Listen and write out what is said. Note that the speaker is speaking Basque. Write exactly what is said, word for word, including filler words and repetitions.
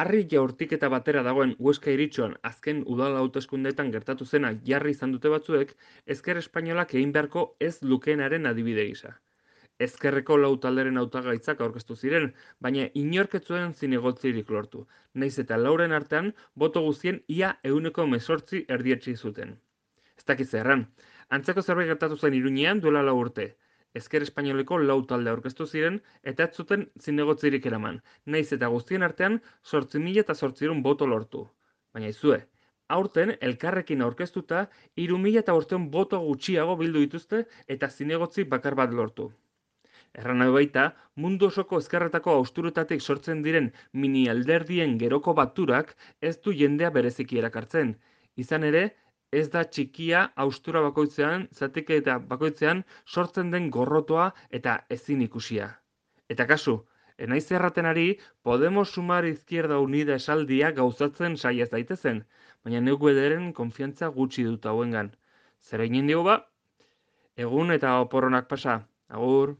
Harri jaurtiketa batera dagoen Huesca Iritxoan azken udal hauteskundeetan gertatu zena jarri izan dute batzuek, Ezker Espainolak egin beharko ez lukeenaren adibide gisa. Ezkerreko lau talderen hautagaitzak aurkeztu ziren, baina inork ez zuen zinegotzirik lortu, nahiz eta lauren artean boto guztien ia ehuneko hemezortzi erdietsi zuten. Ez dakit zer erran. Antzeko zerbait gertatu zen Iruñean duela lau urte. Ezker Espainoleko lau talde aurkeztu ziren eta ez zuten zinegotzirik eraman, nahiz eta guztien artean zortzi mila eta zortziehun boto lortu. Baina izue, aurten elkarrekin aurkeztuta hiru mila eta bostehun boto gutxiago bildu dituzte eta zinegotzi bakar bat lortu. Erran nahi baita, mundu osoko ezkerretako austuretatik sortzen diren mini alderdien geroko baturak ez du jendea bereziki erakartzen. Izan ere, ez da txikia austura bakoitzean, zatik eta bakoitzean sortzen den gorrotoa eta ezin ikusia. Eta kasu, enaiz erraten ari, Podemos Sumar Izquierda Unida esaldia gauzatzen saia ez daitezen, baina neuk bederen konfiantza gutxi dut hauengan. Zer egin digu ba? Egun eta oporronak pasa. Agur.